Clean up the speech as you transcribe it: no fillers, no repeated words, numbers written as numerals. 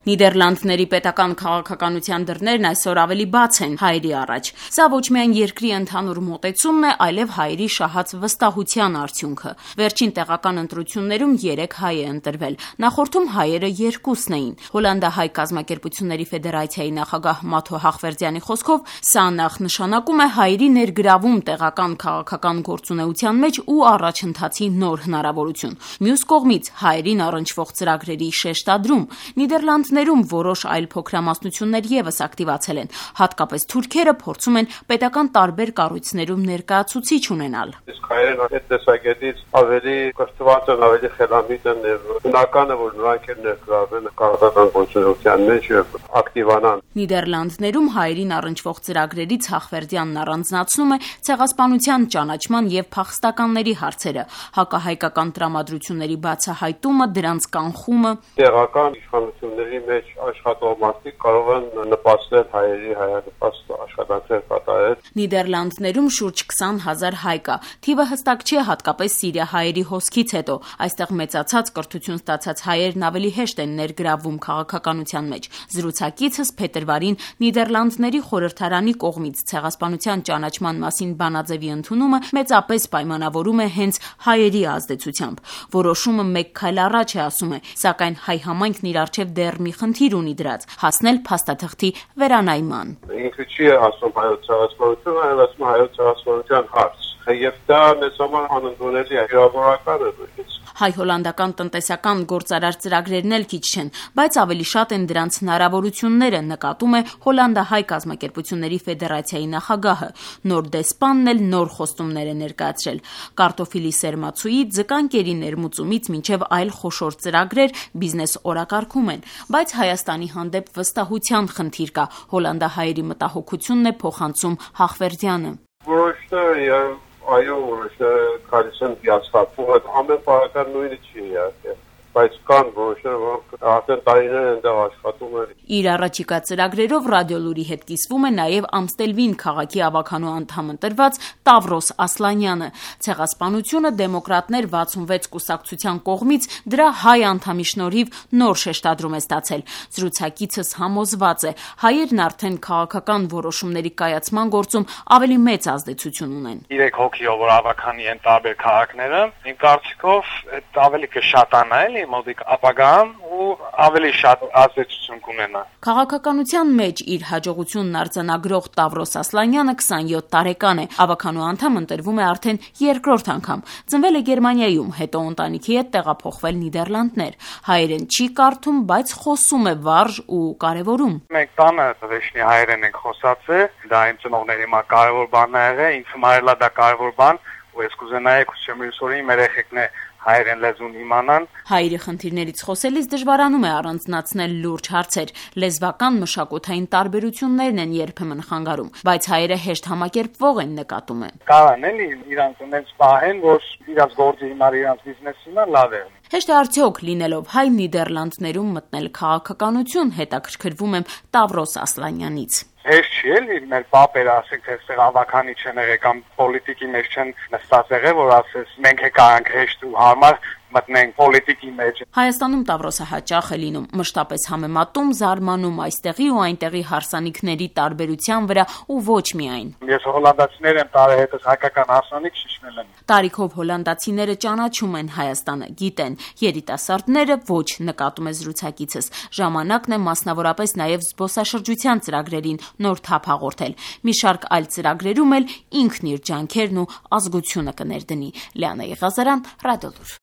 Նիդերլանդների պետական քաղաքականության դռներն այսօր ավելի բաց են հայերի առաջ։ Սա ոչ միայն երկրի ընդհանուր մոտեցումն է, այլև հայերի շահած վստահության արդյունքը։ Վերջին տեղական ընտրություններում 3 հայ է ընտրվել։ Նախորդում հայերը 2-ն էին։ Հոլանդահայ կազմակերպությունների ֆեդերացիայի նախագահ Մաթո Հախվերդյանի խոսքով, սա նախ նշանակում է հայերի ներգրավում տեղական քաղաքական գործունեության մեջ ու առաջընթացի նոր հնարավորություն։ Մյուս կողմից հայերին առնչվող ծրագրերի շեշտադրում։ Նիդերլանդներում որոշ այլ փոքրամասնություններ ևս ակտիվացել են, հատկապես թուրքերը փորձում են պետական տարբեր կառույցներում ներկայացուցիչ ունենալ։ Իսկ հայերն այդ տեսակետից ավելի կրթված են, ավելի խելամիտ են, բնական է, որ նրանք էլ ներգրավեն քաղաքական գործունեության մեջ եւ ակտիվանան։ Նիդերլանդներում հայերին առնչվող ծրագրերից Հախվերդյանն առանձնացնում է ցեղասպանության ճանաչման եւ փախստականների հարցերը, հակահայկական տրամադրությունների բացահայտումը, դրանց կանխումը։ Տեղական իշխանությունների մեջ աշխատող մարդիկ կարող են նպաստել հայերի հայանպաստ աշխատանքներ կատարել։ Նիդերլանդներում շուրջ 20,000 հայ կա։ Թիվը հստակ չէ, հատկապես սիրիահայերի հոսքից հետո։ Այստեղ մեծացած կրթություն ստացած հայերն ավելի հեշտ են ներգրավվում քաղաքականության մեջ։ Զրուցակիցս փետրվարին Նիդերլանդների խորհրդարանի կողմից ցեղասպանության ճանաչման մասին բանաձևի ընդունումը մեծապես պայմանավորում է հենց հայերի ազդեցությամբ։ Որոշումը մեկ քայլ առաջ է, ասում է, սակայն հայ համայնքն իր առջև դեռ մի խնդիր ունի դրած՝ հասնել փաստաթղթի վերանայման։ Ինքը չի ասում հայոց ցեղասպանությունը, այլ ասում հայոց ցեղասպանության հարց։ Եվ դա մեզ համար անընդունելի է, վիրավորական է նույնիսկ։ Հայ-հոլանդական տնտեսական գործարար ծրագրերն էլ քիչ չեն, բայց ավելի շատ են դրանց հնարավորությունները, նկատում է Հոլանդահայ կազմակերպությունների ֆեդերացիայի նախագահը։ Նոր դեսպանն էլ նոր խոստումներ է ներկայացրել։ Կարտոֆիլի սերմացուի, ձկան կերի ներմուծումից մինչև այլ խոշոր ծրագրեր բիզնես օրակարգում են, բայց Հայաստանի հանդեպ վստահության խնդիր կա։ Հոլանդահայերի մտահոգությունն է փոխանցում Հախվերդյանը։ Որոշները այո, որոշները գալիս են հիասթափվում, ամեն պարական նույնը չի իհարկե, բայց կան որոշները, որոնք արդեն տարիներ են դեռ աշխատում են։ Իր առաջիկա ծրագրերով Ռադիոլուրի հետ կիսվում է նաև Ամստելվին քաղաքի ավականու անդամ ընտրված Տավրոս Ասլանյանը։ Ցեղասպանությունը դեմոկրատներ 66 կուսակցության կողմից դրա հայ անդամի շնորհիվ նոր շեշտադրում է ստացել։ Զրուցակիցս համոզված է, հայերն արդեն քաղաքական որոշումների կայացման գործում ավելի մեծ ազդեցություն ունեն։ 3 հոգիով որ ավականի են տարբեր քաղաքները, իմ կարծիքով այդ ավելի կշատանա էլի մոտիկ ապագան ու ավելի շատ ազդեցություն կունենա։ Քաղաքականության մեջ իր հաջողությունն արձանագրող Տավրոս Ասլանյանը 27 տարեկան է, ավականու անդամ ընտրվում է արդեն երկրորդ անգամ։ Ծնվել է Գերմանիայում, հետո ընտանիքի հետ տեղափոխվել Նիդերլանդներ։ Հայերեն չի կարդում, բայց խոսում է վարժ ու կարևորում։ Մենք տանը վերջնի հայերեն ենք խոսացել, դա իմ ծնողների համար կարևոր բան է եղել, ինձ համար դա կարևոր բան, ու ես կուզենայի քուսեմիրսորի մեր երեխեքն է հայերեն լեզուն իմանան։ Հայերի խնդիրներից խոսելիս դժվարանում է առանձնացնել լուրջ հարցեր։ Լեզվական մշակութային տարբերություններն են երբեմն խանգարում, բայց հայերը հեշտ համակերպվող են, նկատում է։ Կարան էլի իրանց ունենց պահեն, որ իրանց գործի հիմար, իրանց բիզնեսի հիմար լավ է։ Հեշտ է արդյոք լինելով հայ Նիդերլանդներում մտնել քաղաքականություն, հետաքրքրվում եմ Տավրոս Ասլանյանից։ Հեշտ չի էլի, մեր պապերը ասենք, թե այստեղ ավականի չեն եղել կամ պոլիտիկի մեջ չեն նստած եղել, որ ասես մենք եկանք հեշտ ու հարմար մտնենք պոլիտիկի մեջ։ Հայաստանում Տավրոսը հաճախ է լինում, մշտապես համեմատում, զարմանում այստեղի ու այնտեղի հարսանիքների տարբերության վրա ու ոչ միայն։ Ես հոլանդացիներ եմ տարեհետս հայկական հարսանիք շիշնել եմ։ Տարիքով հոլանդացիները ճանաչում են Հայաստանը, գիտեն, երիտասարդները ոչ, նկատում է զրուցակիցս։ Ժամանակն է մասնավորապես նաև զբոսաշրջության ծրագրերին նոր թափ հաղորդել։ Մի շարք այլ ծրագրերում էլ ինքն իր ջանքերն ու ազգությունը կներդնի։ Լիանա Եղազարյան, Ռադիոլուր։